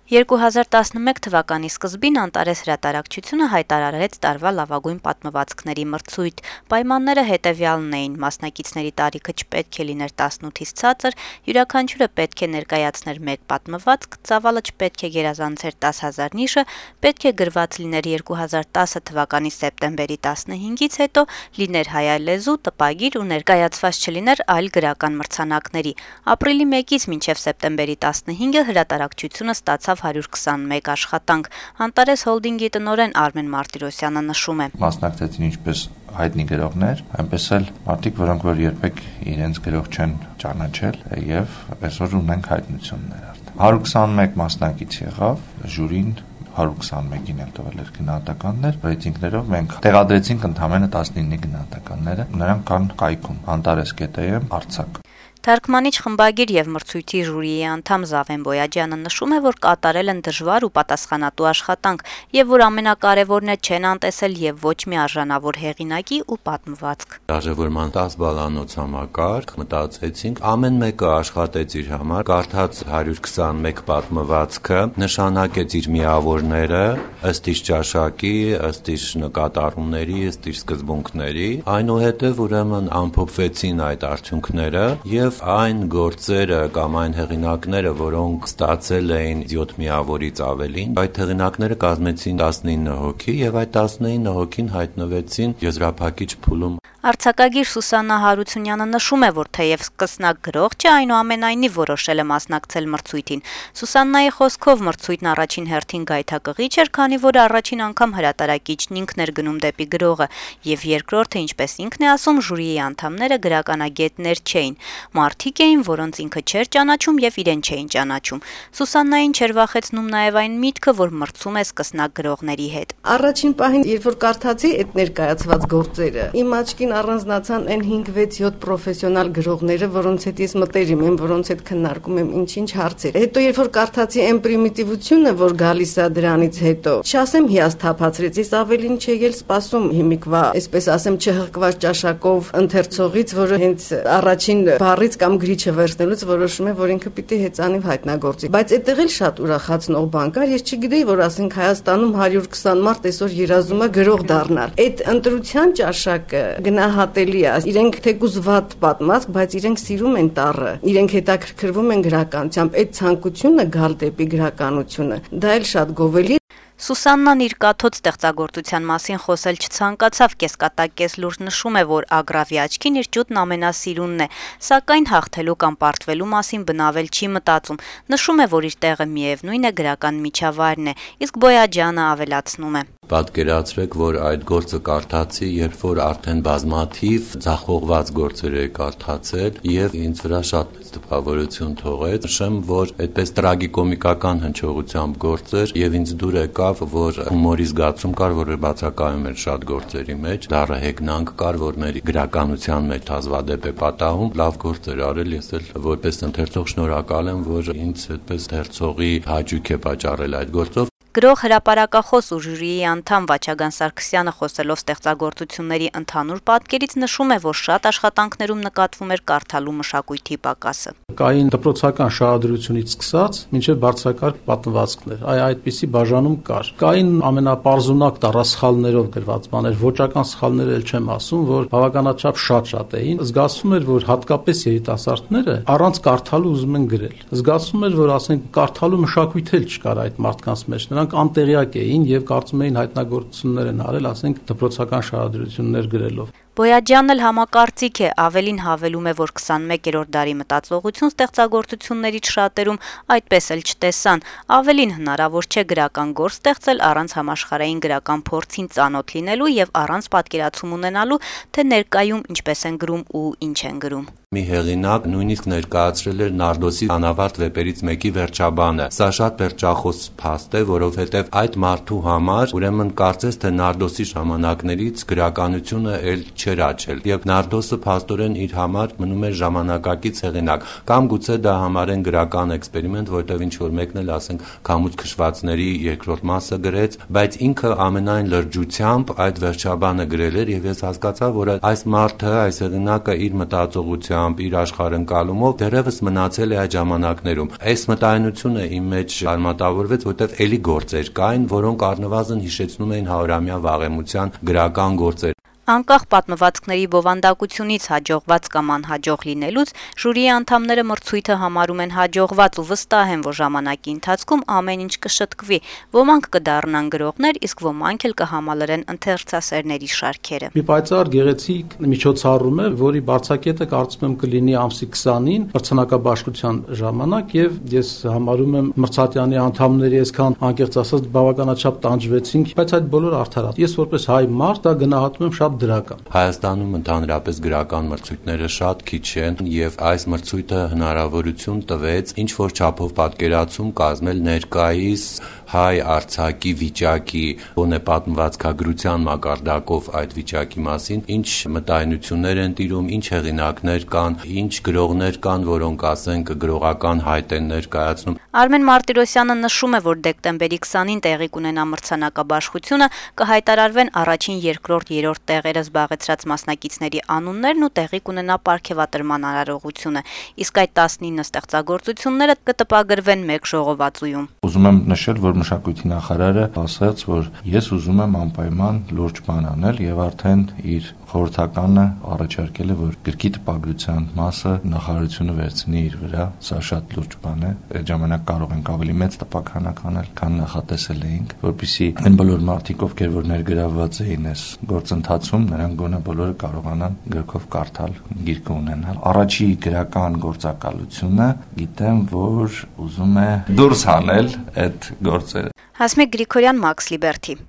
2011 թվականի սկզբին Անտարես հրատարակչությունը հայտարարեց տարվա լավագույն պատմվածքների մրցույթ։ Պայմանները հետևյալն էին՝ մասնակիցների տարիքը չպետք է լիներ 18-ից ցածր, յուրաքանչյուրը պետք է ներկայացներ մեկ պատմվածք, ծավալը չպետք է գերազանցեր 10,000 նիշը, պետք է գրված լիներ 2010 թվականի սեպտեմբերի 15-ից հետո, լիներ հայալեզու, տպագիր ու ներկայացված չլիներ այլ գրական մրցանակների։ Ապրիլի 1-ից մինչև սեպտեմբերի 15-ը հրատարակչությունը ստացավ 121 աշխատանք։ Անտարես հոլդինգի տնօրեն Արմեն Մարտիրոսյանը նշում է. Մասնակցեցին ինչպես հայտնի գրողներ, այնպես էլ մարդիկ, որոնք որ երբեք իրենց գրող չեն ճանաչել եւ այսօր ունենք հայտնություններ արդեն։ 121 մասնակից եղավ, ժյուրին 121-ին էլ տվել էր գնահատականներ, ռեյտինգներով մենք տեղադրեցինք ընդամենը 19 գնահատականները, նրանք կան կայքում antares.am Արցախ։ Թարգմանիչ, խմբագիր եւ մրցույթի ժյուրիի անդամ Զավեն Բոյաջյանը նշում է, որ կատարել են դժվար ու պատասխանատու աշխատանք եւ որ ամենակարևորն է չեն անտեսել եւ ոչ մի արժանավոր հեղինակի ու պատմվածք։ Դաժևորման 10 բալանոց համակարգ մտածեցինք, ամեն մեկը աշխատեց իր համար, կարդաց 121 պատմվածքը, նշանակեց իր միավորները ըստ իր ճաշակի, ըստ իր նկատառումների, ըստ իր սկզբունքների, այնուհետեւ ուրեմն ամփոփվեցին այդ արդյունքները եւ այն գործերը կամ այն հեղինակները, որոնք ստացել էին 7 միավորից ավելին, այդ հեղինակները կազմեցին 19 հոգի եւ այդ 19 հոգին հայտնվեցին եզրափակիչ փուլում։ Արձակագիր Սուսաննա Հարությունյանը նշում է, որ թեև սկսնակ գրող չէ, այնուամենայնիվ որոշել է մասնակցել մրցույթին։ Սուսաննայի խոսքով մրցույթն առաջին հերթին գայթակղիչ էր, քանի որ առաջին անգամ հրատարակիչն ինքն էր գնում դեպի գրողը, եւ երկրորդը, ինչպես ինքն է ասում, ժյուրիի անդամները գրականագետներ չէին։ Մարդիկ էին, որոնց ինքը չէր ճանաչում եւ իրեն չէին ճանաչում։ Սուսաննային չէր վախեցնում նաեւ այն միտքը, որ մրցում է սկսնակ գրողների հետ։ Առաջին պահին, երբ որ կարդացի այդ ներկայացված գործերը, իմ աչքին առանձնացան այն 5-6-7 պրոֆեսիոնալ գրողները, որոնց հետ ես մտերիմ եմ, որոնց հետ քննարկում եմ ինչ-ինչ հարցեր։ Հետո երբ որ կարդացի այն պրիմիտիվությունը, որ գալիս է դրանից հետո, չասեմ հիասթափացրեց, ես ավելին չէի էլ սպասում հիմիկվա, այսպես ասեմ, չհղկված ճաշակով ընթերցողից, որը հենց առաջին բառից կամ գրիչը վերցնելուց որոշում է, որ ինքը պիտի հեծանիվ հայտնագործի։ Բայց այդտեղ էլ շատ ուրախացնող բան կար, ես չգիտեի, որ ասենք Հայաստանում 120 մարդ այսօր երազում է գրող դառնալ։ Այդ ընտրության ճաշակը գնահատելի է։ Իրենք թեկուզ վատ պատմած, բայց իրենք սիրում են տառը, իրենք հետաքրքրվում են գրականությամբ։ Այդ ցանկությունը գալ դեպի գրականությունը, դա էլ շատ գովելի։ Սուսաննան իր կաթոց ստեղծագործության մասին խոսել չցանկացավ, կեսկատակ լուրջ նշում է, որ Ագրավի աչքին իր ճուտն ամենասիրունն է, սակայն հաղթելու կամ պարտվելու մասին բնավել չի մտածում։ Նշում է, որ իր տեղը միևնույն է գրական միջավայրն է, իսկ Բոյաջյանը ավելացնում է. Պատկերացրեք, որ այդ գործը կարդացի, երբ որ արդեն բազմաթիվ ձախողված գործեր էի կարդացել եւ ինձ վրա շատ մեծ տպավորություն թողեց։ Նշեմ, որ այդպես տրագիկոմիկական հնչողությամբ գործեր եւ ինձ դուր եկավ, որ հումորի զգացում կար, որը բացակայում էր շատ գործերի մեջ, դառը հեգնանք կար, որ մեր գրականության մեջ հազվադեպ է պատահում, լավ գործեր արել, ես էլ որպես ընթերցող շնորհակալ եմ, որ ինձ այդպես ընթերցողի հաճույք է պատճառել այդ գործով։ Գրող հրապարակախոս ու ժյուրիի անդամ Վաչագան Սարգսյանը խոսելով ստեղծագործությունների ընդհանուր պատկերից նշում է, որ շատ աշխատանքներում նկատվում էր կարդալու մշակույթի պակասը։ Կային դպրոցական շահադրությունից սկսած մինչև բարձրակարգ պատմվածքներ, այդպիսի բաժանում կար։ Կային ամենապարզունակ տառասխալներով գրված բաներ, ոճական սխալներ էլ չեմ ասում, որ բավականաչափ շատ էին։ Զգացվում էր, որ հատկապես երիտասարդները առանց կարդալու ուզում են գրել։ Զգացվում էր, որ ասենք կարդալու մշակույթ էլ չկար այդ մարդկանց մեջ։ Նրանք անտեղյակ էին եւ կարծում էին հայտնագործություններ են արել, ասենք դպրոցական շահադրություններ գրելով։ Բոյաջյանն էլ համակարծիք է, ավելին հավելում է, որ 21-րդ դարի մտածողություն ստեղծագործություններից շատերում այդպես էլ չտեսան, ավելին հնարավոր չէ գրական գործ ստեղծել առանց համաշխարհային գրական փորձին ծանոթ լինելու եւ առանց պատկերացում ունենալու, թե ներկայում ինչպես են գրում ու ինչ են գրում։ Մի հեղինակ նույնիսկ ներկայացրել էր Նարդոսի անավարտ վեպերից մեկի վերջաբանը։ Սա շատ վերջախոս փաստ է, որովհետև այդ մարդու համար ուրեմն կարծես թե Նարդոսի ժամանակներից գրականությունը էլ չէր աճել եւ Նարդոսը փաստորեն իր համար մնում էր ժամանակակից հեղինակ կամ գուցե դա համարեն գրական էքսպերիմենտ, որտեղ ինչ որ մեկն էլ ասենք Քամուց քշվածների երկրորդ մասը գրեց, բայց ինքը ամենայն լրջությամբ այդ վերջաբանը գրել էր եւ ես հասկացա, որ այս մարդը, այս հեղինակը իր մտածողությամբ, իր աշխարհընկալումով դեռևս մնացել է այդ ժամանակներում։ Այս մտայնությունը իմ մեջ արմատավորվեց, որտեղ էլի գործեր կային, որոնք առնվազն հիշեցնում էին 100-ամյա վաղեմության գրական գործեր։ Անկախ պատմվածքների բովանդակությունից հաջողված կամ անհաջող լինելուց, ժյուրիի անդամները մրցույթը համարում են հաջողված ու վստահ են, որ ժամանակի ընթացքում ամեն ինչ կշտկվի, ոմանք կդառնան գրողներ, իսկ ոմանք էլ կհամալրեն ընթերցասերների շարքերը։ Մի պայծառ գեղեցիկ միջոցառում է, որի բարձակետը կարծում եմ կլինի ամսի 20-ին մրցանակաբաշխության ժամանակ եւ ես համարում եմ մրցատյանի անդամների այսքան անկեղծ ասած բավականաչափ տանջվեցինք, բայց այդ բոլորը արդարացավ։ Ես որպես հայ մարդ դա գնահատում եմ շատ դրական։ Հայաստանում ընդհանրապես գրական մրցույթները շատ քիչ են եւ այս մրցույթը հնարավորություն տվեց ինչ որ չափով պատկերացում կազմել ներկայիս հայ արձակի վիճակի, ոնե պատմվածքագրության մակարդակով այդ վիճակի մասին, ինչ մտայնություններ են տիրում, ինչ հեղինակներ կան, ինչ գրողներ կան, որոնք ասենք գրողական հայտ են ներկայացնում։ Արմեն Մարտիրոսյանը նշում է, որ դեկտեմբերի 20-ին տեղի կունենա մրցանակաբաշխությունը, կհայտարարվեն առաջին, երկրորդ, երրորդ տեղերը զբաղեցրած մասնակիցների անուններն ու տեղի կունենա պարգևատրման արարողությունը, իսկ այդ 19 ստեղծագործությունները կտպագրվեն մեկ ժողովածուում։ Ուզում եմ նշել, որ մշակույթի նախարարը ասաց, որ ես ուզում եմ անպայման լուրջ բան անել եւ արդեն իր խորհրդականը առաջարկել է, որ գրքի տպագրության մասը նախարարությունը վերցնի իր վրա, սա շատ լուրջ բան է։ Այդ ժամանակ կարող ենք ավելի մեծ տպաքանակ անել, քան նախատեսել էինք, որպեսզի այն բոլոր մարդիկ, ովքեր որ ներգրավված էին այս գործընթացում, նրանք գոնե բոլորը կարողանան գրքով կարդալ, գիրքը ունենալ։ Առաջի գրական գործակալությունը գիտեմ, որ ուզում է դուրս հանել այդ գործերը։ Հասմիկ Գրիգորյան, Մաքս Լիբերթի։